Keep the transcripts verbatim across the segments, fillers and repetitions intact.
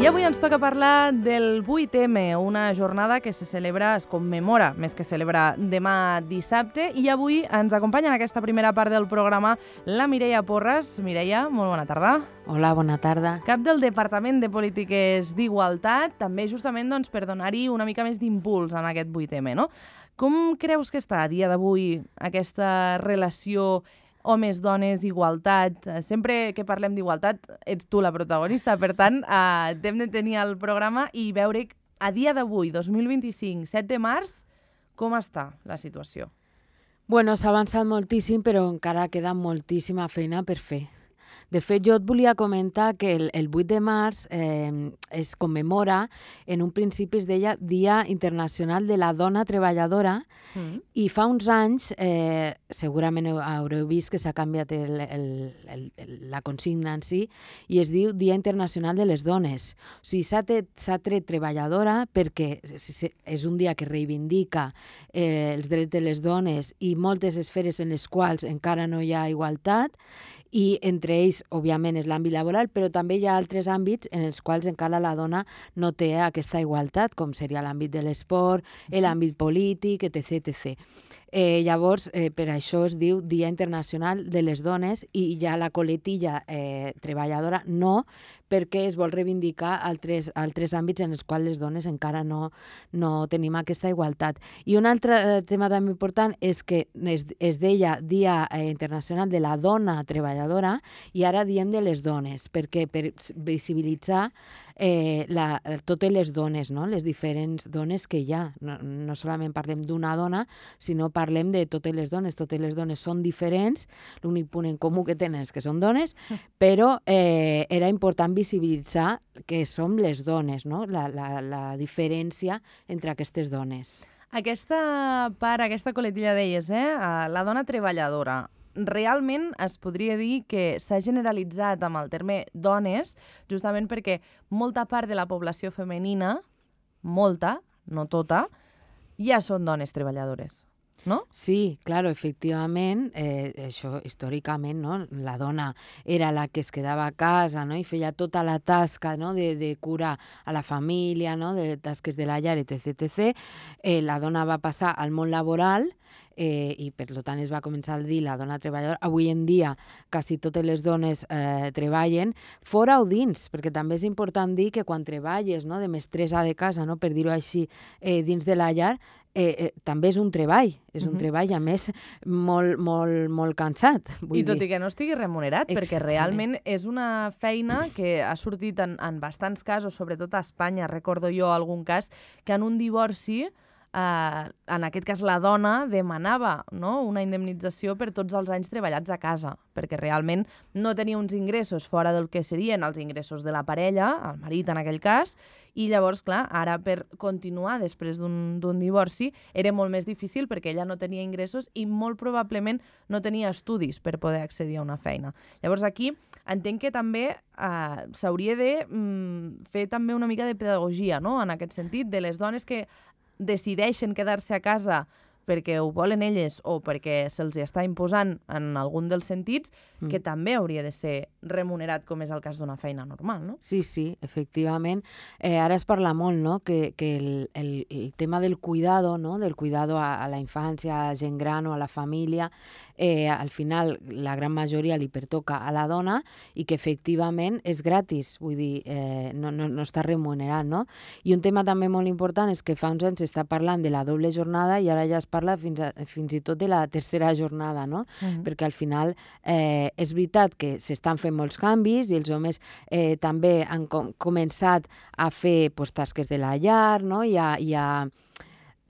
avui ens toca parlar del vuit eme, una jornada que se celebra, es commemora, més que celebra, demà dissabte. I avui ens acompanya en aquesta primera part del programa la Mireia Porras. Mireia, molt bona tarda. Hola, bona tarda. Cap del Departament de Polítiques d'Igualtat, també justament doncs, per donar-hi una mica més d'impuls en aquest vuit eme, no? Com creus que està a dia d'avui aquesta relació homes, dones, igualtat? Sempre que parlem d'igualtat ets tu la protagonista, per tant, eh, hem de tenir el programa i veure a dia d'avui, dos mil vint-i-cinc, set de març, com està la situació. Bueno, s'ha avançat moltíssim, però encara queda moltíssima feina per fer. De fet, jo et volia comentar que el, el vuit de març eh, es commemora, en un principi es deia Dia Internacional de la Dona Treballadora, mm. i fa uns anys, eh, segurament haureu vist que s'ha canviat el, el, el, el, la consigna en si, i es diu Dia Internacional de les Dones. O sigui, s'ha tret, s'ha tret treballadora perquè és un dia que reivindica eh, els drets de les dones i moltes esferes en les quals encara no hi ha igualtat, i entre ells, òbviament, és l'àmbit laboral, però també hi ha altres àmbits en els quals encara la dona no té aquesta igualtat, com seria l'àmbit de l'esport, l'àmbit polític, etc etcètera. Eh, llavors, eh, per això es diu Dia Internacional de les Dones i ja la coletilla eh, treballadora no, perquè es vol reivindicar altres, altres àmbits en els quals les dones encara no, no tenim aquesta igualtat. I un altre eh, tema també important és que es, es deia Dia eh, Internacional de la Dona Treballadora i ara diem de les dones, perquè per visibilitzar eh, la, totes les dones, no? Les diferents dones que hi ha. No, no solament parlem d'una dona, sinó parlem de totes les dones. Totes les dones són diferents, l'únic punt en comú que tenen és que són dones, però eh, era important visibilitzar que som les dones, no? La, la, la diferència entre aquestes dones. Aquesta part, aquesta coletilla deies, eh? La dona treballadora. Realment es podria dir que s'ha generalitzat amb el terme dones, justament perquè molta part de la població femenina, molta, no tota, ja són dones treballadores. ¿No? Sí, claro, efectivament, eh, això històricament, no? La dona era la que es quedava a casa, no? I feia tota la tasca, no? de, de cura a la família, no? De tasques de la llar, etc etcètera. Eh, la dona va passar al món laboral eh, i per tant es va començar a dir la dona treballadora. Avui en dia quasi totes les dones eh, treballen fora o dins, perquè també és important dir que quan treballes, no? De mestressa de casa, no? Per dir-ho així, eh, dins de la llar, Eh, eh, també és un treball, és un uh-huh. treball, a més, molt, molt, molt cansat. Vull I tot dir. I que no estigui remunerat, Exactament. Perquè realment és una feina que ha sortit en, en bastants casos, sobretot a Espanya, recordo jo algun cas, que en un divorci, eh, en aquest cas la dona demanava, no? Una indemnització per tots els anys treballats a casa, perquè realment no tenia uns ingressos fora del que serien els ingressos de la parella, el marit en aquell cas, i llavors, clar, ara per continuar després d'un divorci era molt més difícil perquè ella no tenia ingressos i molt probablement no tenia estudis per poder accedir a una feina. Llavors aquí entenc que també eh, s'hauria de mm, fer també una mica de pedagogia, no? En aquest sentit, de les dones que decideixen quedar-se a casa perquè ho volen elles o perquè se'ls està imposant en algun dels sentits, mm. que també hauria de ser remunerat com és el cas d'una feina normal, no? Sí, sí, efectivament. Eh, ara es parla molt, no?, que, que el, el, el tema del cuidado, no?, del cuidado a, a la infància, a gent gran o a la família, eh, al final la gran majoria li pertoca a la dona i que efectivament és gratis, vull dir, eh, no, no, no està remunerat, no? I un tema també molt important és que fa uns anys s'està parlant de la doble jornada i ara ja es parla fins, a, fins i tot de la tercera jornada, no? Uh-huh. Perquè al final eh, és veritat que s'estan fent molts canvis i els homes eh, també han com, començat a fer pues, tasques de la llar, no? I a, i a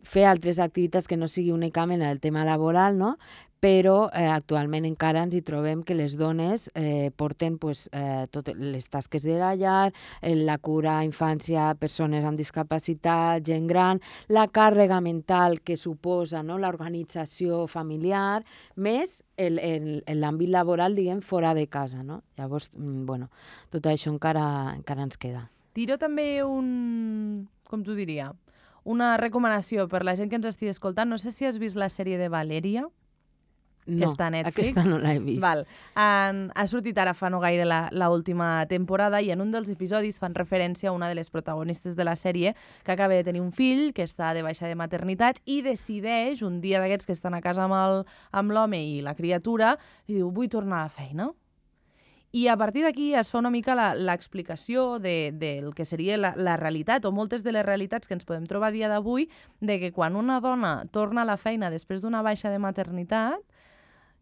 fer altres activitats que no sigui únicament el tema laboral, no? Però eh, actualment encara ens hi trobem que les dones eh, porten pues, eh, totes les tasques de la llar, eh, la cura a infància, persones amb discapacitat, gent gran, la càrrega mental que suposa, no?, l'organització familiar, més l'àmbit laboral, diguem, fora de casa, no? Llavors, bueno, tot això encara, encara ens queda. Tiro també un, com t'ho diria, una recomanació per la gent que ens estigui escoltant. No sé si has vist la sèrie de Valèria. No, que està a Netflix. Aquesta no l'he vist. Val. Han, ha sortit ara fa no gaire l'última temporada i en un dels episodis fan referència a una de les protagonistes de la sèrie que acaba de tenir un fill, que està de baixa de maternitat i decideix, un dia d'aquests que estan a casa amb l'home i la criatura, i diu, vull tornar a la feina. I a partir d'aquí es fa una mica l'explicació de, del que seria la, la realitat o moltes de les realitats que ens podem trobar a dia d'avui de que quan una dona torna a la feina després d'una baixa de maternitat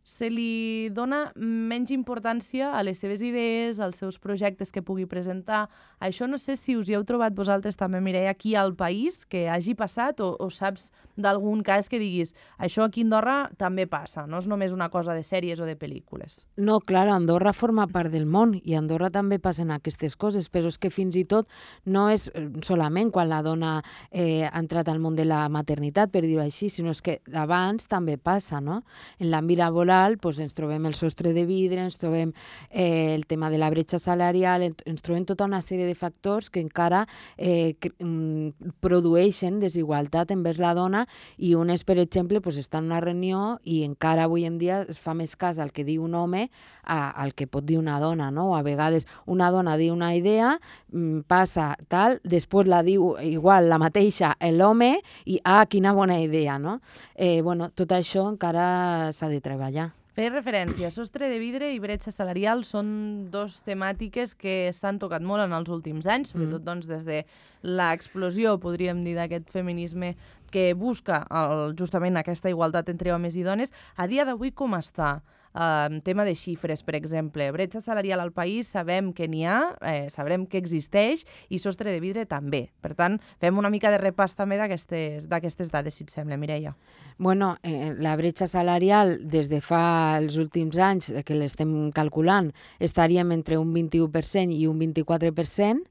se li dona menys importància a les seves idees, als seus projectes que pugui presentar. Això no sé si us hi heu trobat vosaltres també, Mireia, aquí al país, que hagi passat, o, o saps d'algun cas que diguis això aquí a Andorra també passa, no és només una cosa de sèries o de pel·lícules. No, clar, Andorra forma part del món i a Andorra també passen aquestes coses, però és que fins i tot no és solament quan la dona eh, ha entrat al món de la maternitat, per dir-ho així, sinó és que abans també passa, no? En l'àmbit laboral pues, ens trobem el sostre de vidre, ens trobem eh, el tema de la bretxa salarial, ens trobem tota una sèrie de factors que encara eh, que, mm, produeixen desigualtat envers la dona i unes, per exemple, pues, estan en una reunió i encara avui en dia es fa més cas al que diu un home a, al que pot dir una dona, no? A vegades una dona diu una idea, mm, passa tal, després la diu igual la mateixa l'home i ah, quina bona idea, no? Eh, bueno, tot això encara s'ha de treballar. Feia referència, sostre de vidre i bretxa salarial són dos temàtiques que s'han tocat molt en els últims anys, sobretot mm. doncs, des de l'explosió, podríem dir, d'aquest feminisme que busca el, justament aquesta igualtat entre homes i dones. A dia d'avui com està? Uh, tema de xifres, per exemple. Bretxa salarial al país sabem que n'hi ha, eh, sabrem que existeix, i sostre de vidre també. Per tant, fem una mica de repàs també d'aquestes dades, si et sembla, Mireia. Bueno, eh, la bretxa salarial, des de fa els últims anys que l'estem calculant, estaríem entre un vint-i-u per cent i un vint-i-quatre per cent,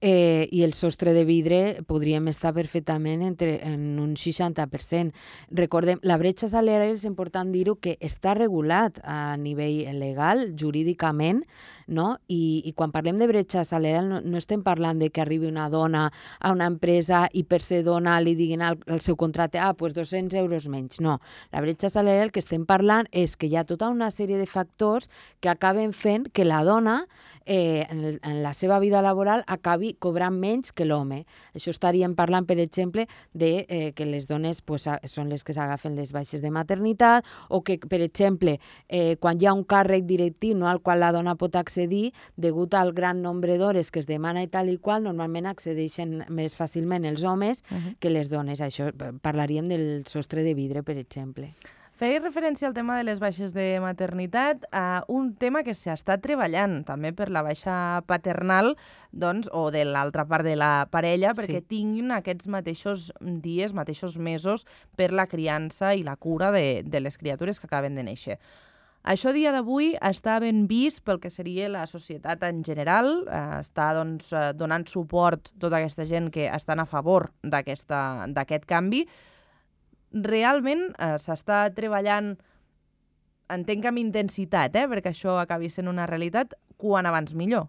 Eh, i el sostre de vidre podríem estar perfectament entre, en un seixanta per cent. Recordem, la bretxa salarial és important dir-ho que està regulat a nivell legal, jurídicament, no? I, i quan parlem de bretxa salarial no, no estem parlant de que arribi una dona a una empresa i per ser dona li diguin al, al seu contracte ah, doncs dos-cents euros menys. No, la bretxa salarial que estem parlant és que hi ha tota una sèrie de factors que acaben fent que la dona eh, en, en la seva vida laboral acabi cobrant menys que l'home. Això estaríem parlant, per exemple, de eh, que les dones pues, són les que s'agafen les baixes de maternitat o que, per exemple, eh, quan hi ha un càrrec directiu no, al qual la dona pot accedir, degut al gran nombre d'hores que es demana i tal i qual, normalment accedeixen més fàcilment els homes uh-huh. que les dones. Això parlaríem del sostre de vidre, per exemple. Feia referència al tema de les baixes de maternitat, a un tema que s'està treballant també per la baixa paternal, doncs, o de l'altra part de la parella, perquè sí. tinguin aquests mateixos dies, mateixos mesos per la criança i la cura de, de les criatures que acaben de néixer. Això a dia d'avui està ben vist pel que seria la societat en general, eh, està doncs, donant suport a tota aquesta gent que estan a favor d'aquest canvi. Realment eh, s'està treballant, entenc que amb intensitat, eh, perquè això acabi sent una realitat, quan abans millor.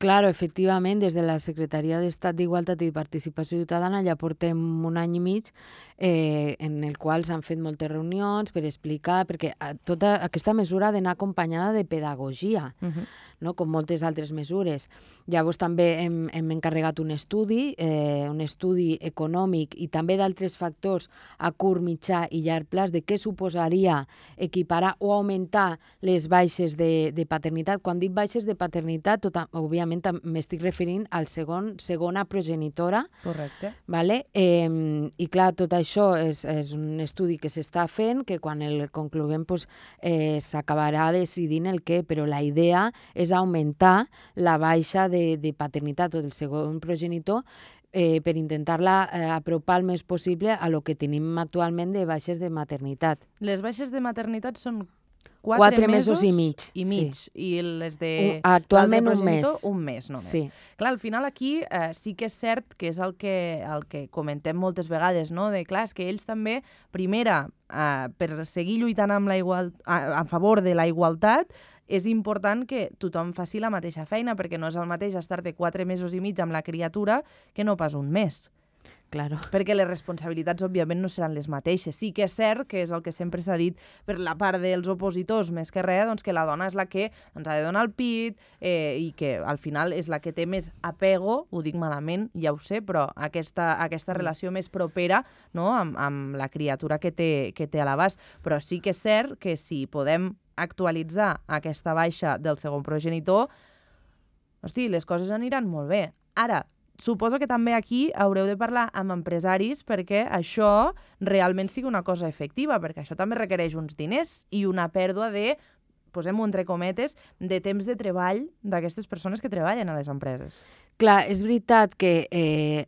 Claro, efectivament, des de la Secretaria d'Estat d'Igualtat i Participació Ciutadana ja portem un any i mig eh, en el qual s'han fet moltes reunions per explicar, perquè tota aquesta mesura ha d'anar acompanyada de pedagogia, uh-huh. no? Com moltes altres mesures. Llavors també hem, hem encarregat un estudi, eh, un estudi econòmic i també d'altres factors a curt, mitjà i llarg plaç de què suposaria equiparar o augmentar les baixes de, de paternitat. Quan dic baixes de paternitat, tot, òbviament m'estic referint al segon, segona progenitora. Correcte. Vale? Eh, I clar, tot això és, és un estudi que s'està fent, que quan el concloguem pues, eh, s'acabarà decidint el què, però la idea és augmentar la baixa de, de paternitat o del segon progenitor eh, per intentar-la eh, apropar el més possible a lo que tenim actualment de baixes de maternitat. Les baixes de maternitat són Quatre, Quatre mesos, mesos i mig. I mig. Sí. I les de un, actualment un mes. Un mes només. Sí. Clar, al final aquí eh, sí que és cert que és el que, el que comentem moltes vegades, no? De clar, és que ells també, primera, eh, per seguir lluitant amb la igual, a, a favor de la igualtat, és important que tothom faci la mateixa feina, perquè no és el mateix estar de quatre mesos i mig amb la criatura que no pas un mes. claro. Perquè les responsabilitats, òbviament, no seran les mateixes. Sí que és cert, que és el que sempre s'ha dit per la part dels opositors, més que res, doncs, que la dona és la que doncs, ha de donar el pit eh, i que al final és la que té més apego, ho dic malament, ja ho sé, però aquesta, aquesta relació més propera, no?, amb, amb la criatura que té, que té a l'abast. Però sí que és cert que si podem actualitzar aquesta baixa del segon progenitor, hosti, les coses aniran molt bé. Ara, suposo que també aquí haureu de parlar amb empresaris perquè això realment sigui una cosa efectiva, perquè això també requereix uns diners i una pèrdua de, posem-ho entre cometes, de temps de treball d'aquestes persones que treballen a les empreses. Clar, és veritat que eh,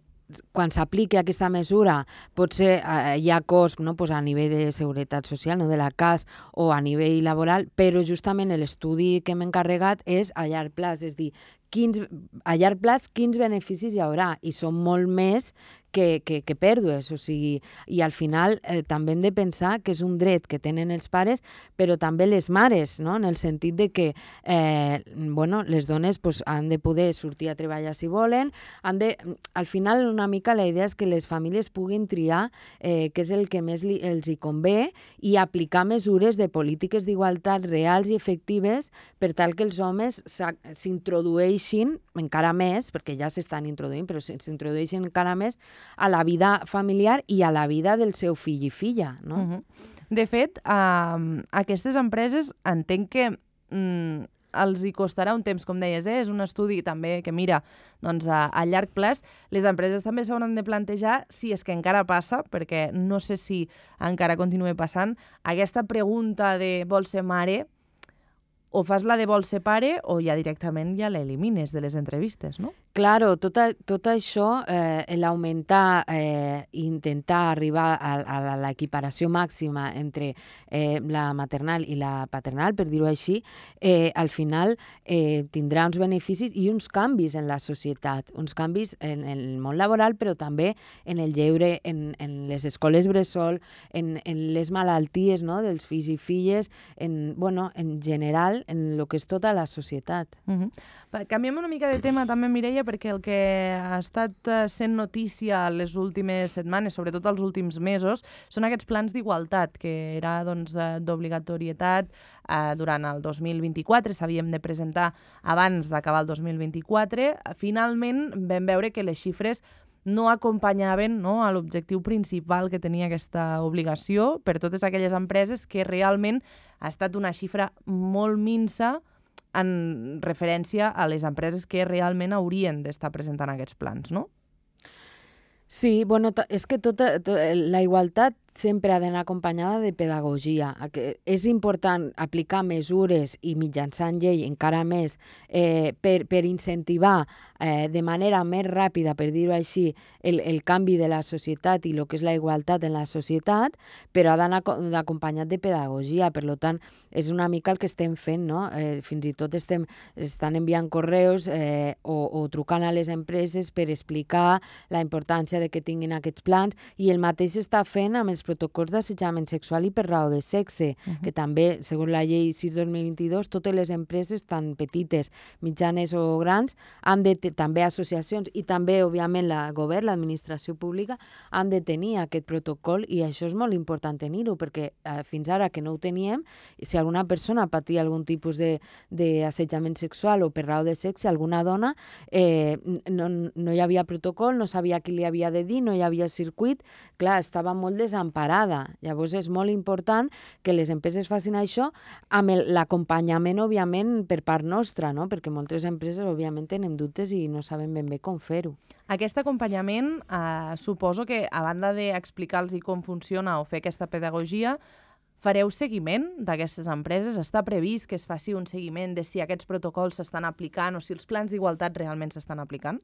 quan s'apliqui aquesta mesura potser eh, hi ha cost, no? Pues a nivell de seguretat social, no? De la C A S o a nivell laboral, però justament l'estudi que hem encarregat és a llarg plaç, és dir, quins, a llarg plaç quins beneficis hi haurà, i són molt més que, que, que pèrdues, o sigui, i al final eh, també hem de pensar que és un dret que tenen els pares, però també les mares, no? En el sentit de que eh, bueno, les dones pues, han de poder sortir a treballar si volen, han de, al final una mica la idea és que les famílies puguin triar eh, què és el que més li, els hi convé i aplicar mesures de polítiques d'igualtat reals i efectives per tal que els homes s'introdueixin encara més, perquè ja s'estan introduint, però s'introdueixin encara més a la vida familiar i a la vida del seu fill i filla, no? Uh-huh. De fet, uh, aquestes empreses entenc que mm, els hi costarà un temps, com deies, eh? És un estudi també que mira doncs, a, a llarg plaç. Les empreses també s'hauran de plantejar si és que encara passa, perquè no sé si encara continua passant, aquesta pregunta de vols ser mare, o fas la de vols ser pare o ja directament ja l'elimines de les entrevistes, no? Claro, tot, a, tot això, eh, l'augmentar eh, i intentar arribar a, a l'equiparació màxima entre eh, la maternal i la paternal, per dir-ho així, eh, al final eh, tindrà uns beneficis i uns canvis en la societat, uns canvis en, en el món laboral, però també en el lleure, en, en les escoles bressol, en, en les malalties, no?, dels fills i filles, en, bueno, en general, en el que és tota la societat. Uh-huh. Canviem una mica de tema també, Mireia, perquè el que ha estat sent notícia les últimes setmanes, sobretot els últims mesos, són aquests plans d'igualtat, que era doncs, d'obligatorietat eh, durant el dos mil vint-i-quatre, s'havien de presentar abans d'acabar el dos mil vint-i-quatre. Finalment vam veure que les xifres no acompanyaven, no, a l'objectiu principal que tenia aquesta obligació per totes aquelles empreses, que realment ha estat una xifra molt minsa en referència a les empreses que realment haurien d'estar presentant aquests plans, no? Sí, bueno, és que tota, tota la igualtat sempre ha d'anar acompanyada de pedagogia. És important aplicar mesures i mitjançant llei encara més eh, per, per incentivar eh, de manera més ràpida, per dir-ho així, el, el canvi de la societat i el que és la igualtat en la societat, però ha d'anar acompanyat de pedagogia. Per tant, és una mica el que estem fent, no? Eh, fins i tot estem, estan enviant correus eh, o, o trucant a les empreses per explicar la importància de que tinguin aquests plans, i el mateix s'està fent amb els protocols d'assetjament sexual i per raó de sexe, uh-huh. que també, segons la llei sis dos mil vint-i-dos, totes les empreses, tan petites, mitjanes o grans, han de també associacions i també, òbviament, el govern, l'administració pública, han de tenir aquest protocol, i això és molt important tenir-ho, perquè eh, fins ara que no ho teníem, si alguna persona patia algun tipus d'assetjament sexual o per raó de sexe, alguna dona, eh, no, no hi havia protocol, no sabia qui li havia de dir, no hi havia circuit, clar, estava molt desemparada. Llavors és molt important que les empreses facin això amb l'acompanyament, òbviament, per part nostra, no? Perquè moltes empreses, òbviament, tenen dubtes i no saben ben bé com fer-ho. Aquest acompanyament, eh, suposo que, a banda d'explicar-los com funciona o fer aquesta pedagogia, fareu seguiment d'aquestes empreses? Està previst que es faci un seguiment de si aquests protocols s'estan aplicant o si els plans d'igualtat realment s'estan aplicant?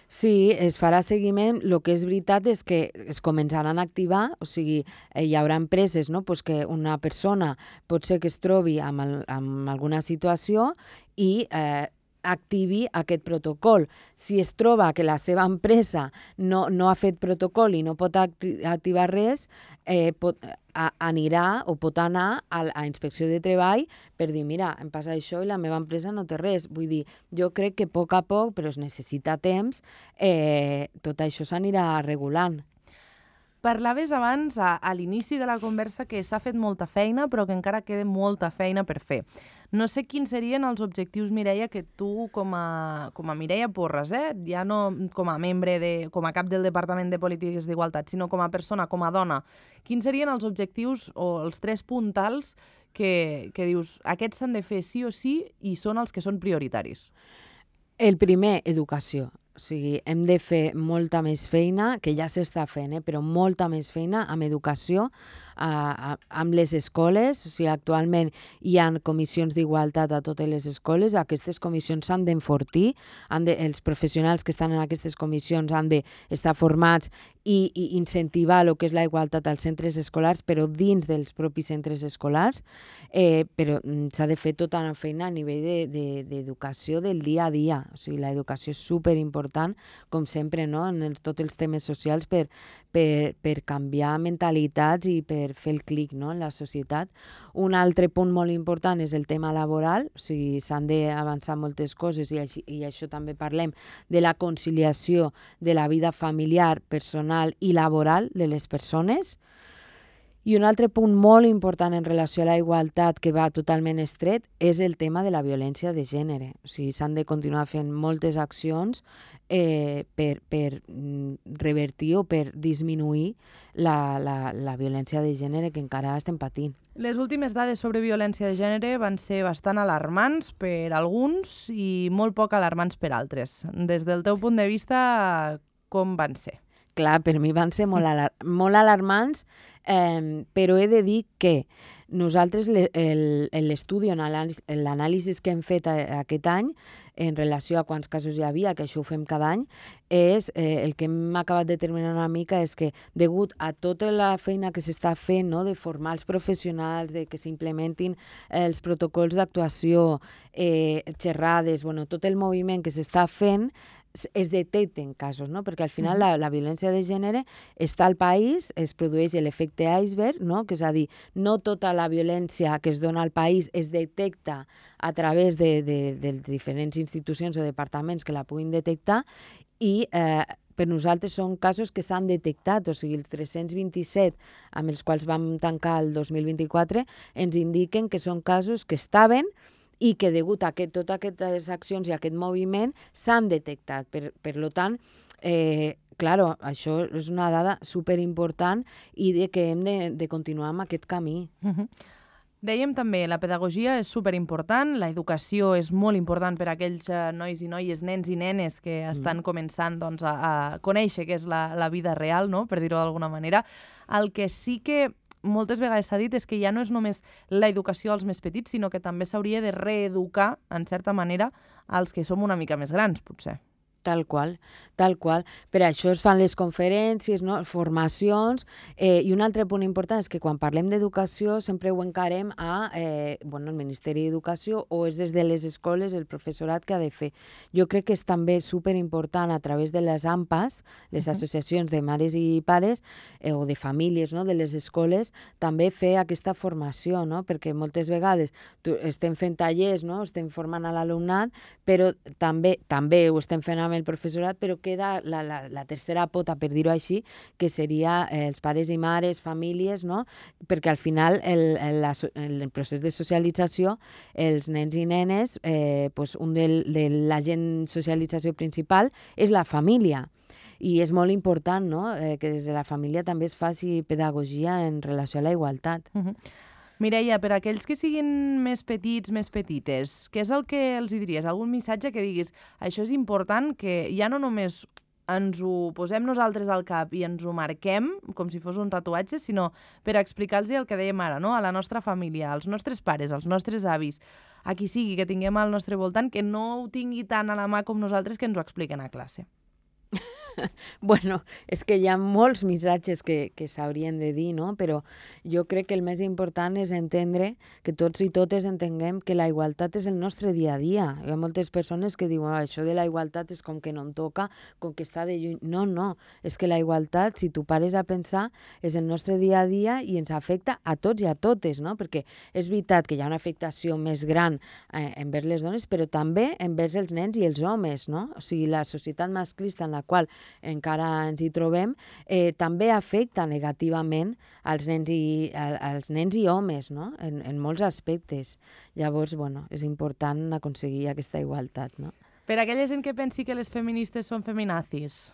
Sí, es farà seguiment. El que és veritat és que es començaran a activar, o sigui, hi haurà empreses, no?, pues que una persona pot ser que es trobi amb, el, amb alguna situació i eh, activi aquest protocol. Si es troba que la seva empresa no, no ha fet protocol i no pot acti activar res, eh, pot, a, anirà o pot anar a, a Inspecció de Treball per dir, mira, em passa això i la meva empresa no té res. Vull dir, jo crec que a poc a poc, però es necessita temps, eh, tot això s'anirà regulant. Parlaves abans, a, a l'inici de la conversa, que s'ha fet molta feina, però que encara queda molta feina per fer. No sé quins serien els objectius, Mireia, que tu, com a, com a Mireia Porras, eh? Ja no com a membre, de, com a cap del Departament de Polítiques d'Igualtat, sinó com a persona, com a dona, quins serien els objectius o els tres puntals que, que dius, aquests s'han de fer sí o sí i són els que són prioritaris? El primer, educació. O sigui, hem de fer molta més feina, que ja s'està fent, eh? Però molta més feina amb educació, a, a, amb les escoles. O sigui, actualment hi ha comissions d'igualtat a totes les escoles. Aquestes comissions s'han d'enfortir, de, els professionals que estan en aquestes comissions han d'estar formats i, i incentivar el que és la igualtat als centres escolars, però dins dels propis centres escolars. Eh, però s'ha de fer tota una feina a nivell d'educació de, de, del dia a dia. O sigui, l'educació és superimportant, com sempre, no? En el, tots els temes socials per, per, per canviar mentalitats i per fer el clic, no? En la societat. Un altre punt molt important és el tema laboral, o sigui, s'han d'avançar moltes coses i, així, i això també parlem de la conciliació de la vida familiar, personal i laboral de les persones. I un altre punt molt important en relació a la igualtat que va totalment estret és el tema de la violència de gènere. O sigui, s'han de continuar fent moltes accions eh, per, per revertir o per disminuir la, la, la violència de gènere que encara estem patint. Les últimes dades sobre violència de gènere van ser bastant alarmants per alguns i molt poc alarmants per altres. Des del teu punt de vista, com van ser? Clar, per mi van ser molt, alar molt alarmants, eh, però he de dir que nosaltres l'estudi, l'anàlisi que hem fet aquest any en relació a quants casos hi havia, que això ho fem cada any, és eh, el que hem acabat determinant una mica és que degut a tota la feina que s'està fent, no, de formar els professionals, de que s'implementin els protocols d'actuació, eh, xerrades, bueno, tot el moviment que s'està fent, es detecten casos, no? Perquè al final la, la violència de gènere està al país, es produeix l'efecte iceberg, no? Que és a dir, no tota la violència que es dona al país es detecta a través de, de, de diferents institucions o departaments que la puguin detectar i eh, per nosaltres són casos que s'han detectat, o sigui, els tres-cents vint-i-set amb els quals vam tancar el dos mil vint-i-quatre ens indiquen que són casos que estaven i que degut a que totes aquestes accions i aquest moviment s'han detectat. Per, per tant, eh, claro, això és una dada superimportant i de que hem de, de continuar amb aquest camí. Uh-huh. Dèiem també, la pedagogia és superimportant, la educació és molt important per a aquells uh, nois i noies, nens i nenes que estan mm. començant doncs, a, a conèixer què és la, la vida real, no? Per dir-ho d'alguna manera. El que sí que moltes vegades s'ha dit és que ja no és només la educació als més petits, sinó que també s'hauria de reeducar, en certa manera, als que som una mica més grans, potser. Tal qual, tal qual. Per això es fan les conferències, no? Formacions, eh, i un altre punt important és que quan parlem d'educació sempre ho encarem a eh, bueno, el Ministeri d'Educació o és des de les escoles el professorat que ha de fer. Jo crec que és també superimportant a través de les A M P As, les uh-huh. associacions de mares i pares eh, o de famílies, no? De les escoles, també fer aquesta formació, no? Perquè moltes vegades tu, estem fent tallers, no? Estem formant a l'alumnat, però també, també ho estem fent amb el professorat, però queda la, la, la tercera pota, per dir-ho així, que seria eh, els pares i mares, famílies, no? Perquè al final el, el, la, el procés de socialització, els nens i nenes, eh, pues un del, de l'agent socialització principal és la família. I és molt important, no? eh, que des de la família també es faci pedagogia en relació a la igualtat. Uh-huh. Mireia, per a aquells que siguin més petits, més petites, què és el que els hi diries? Algun missatge que diguis, això és important, que ja no només ens ho posem nosaltres al cap i ens ho marquem, com si fos un tatuatge, sinó per explicar-los el que dèiem ara, no? A la nostra família, als nostres pares, als nostres avis, a qui sigui que tinguem al nostre voltant, que no ho tingui tant a la mà com nosaltres que ens ho expliquen a classe. Bueno, és que hi ha molts missatges que, que s'haurien de dir, no? Però jo crec que el més important és entendre que tots i totes entenguem que la igualtat és el nostre dia a dia. Hi ha moltes persones que diuen, ah, això de la igualtat és com que no em toca, com que està de lluny. No, no, és que la igualtat, si tu pares a pensar, és el nostre dia a dia i ens afecta a tots i a totes, no? Perquè és veritat que hi ha una afectació més gran eh, envers les dones, però també envers els nens i els homes, no? O sigui, la societat masclista en la qual encara ens hi trobem, eh, també afecta negativament als nens i, als nens i homes, no? En, en molts aspectes. Llavors, bueno, és important aconseguir aquesta igualtat, no? Per a aquella gent que pensi que les feministes són feminazis,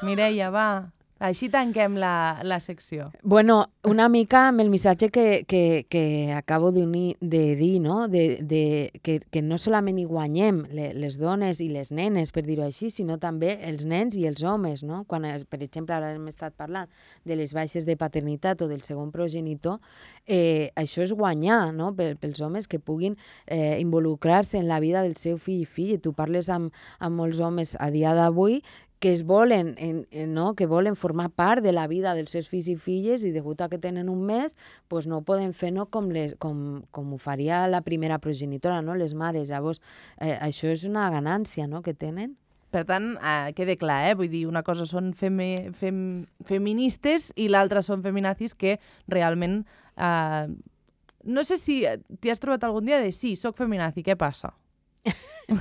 Mireia, va, així tanquem la, la secció. Bueno, una mica amb el missatge que, que, que acabo de, unir, de dir, no? De, de, que, que no solament hi guanyem les dones i les nenes, per dir-ho així, sinó també els nens i els homes, no? Quan, per exemple, ara hem estat parlant de les baixes de paternitat o del segon progenitor, eh, això és guanyar, no? Pels homes que puguin eh, involucrar-se en la vida del seu fill i filla. Tu parles amb, amb molts homes a dia d'avui que es volen, en, en, no? que volen formar part de la vida dels seus fills i filles i degut a que tenen un mes, pues no ho poden fer no? com, les, com, com ho faria la primera progenitora, no? Les mares. Llavors, eh, això és una ganància, no? que tenen. Per tant, eh, quede clar, eh? Vull dir, una cosa són femi fem feministes i l'altra són feminazis que realment... Eh, no sé si t'hi has trobat algun dia de sí, soc feminazi, què passa?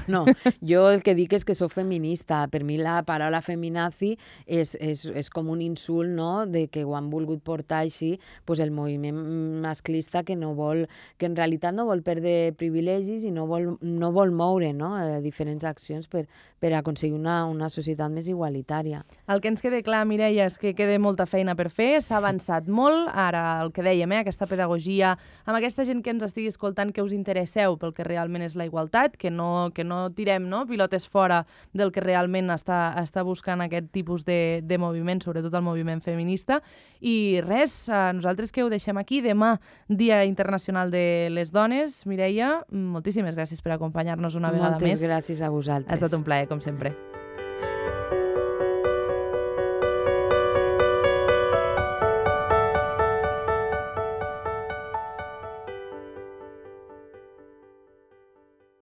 No, jo el que dic és que soc feminista. Per mi la paraula feminazi és, és, és com un insult, no?, de que ho han volgut portar així pues el moviment masclista que no vol, que en realitat no vol perdre privilegis i no vol, no vol moure, no?, eh, diferents accions per, per aconseguir una, una societat més igualitària. El que ens queda clar, Mireia, és que queda molta feina per fer, s'ha avançat molt, ara el que dèiem, eh, aquesta pedagogia, amb aquesta gent que ens estigui escoltant, que us interesseu pel que realment és la igualtat, que no, que no tirem no, pilotes fora del que realment està, està buscant aquest tipus de, de moviment, sobretot el moviment feminista. I res, eh, nosaltres que ho deixem aquí. Demà, Dia Internacional de les Dones. Mireia, moltíssimes gràcies per acompanyar-nos una vegada Moltes més. gràcies a vosaltres. Ha estat un plaer, com sempre.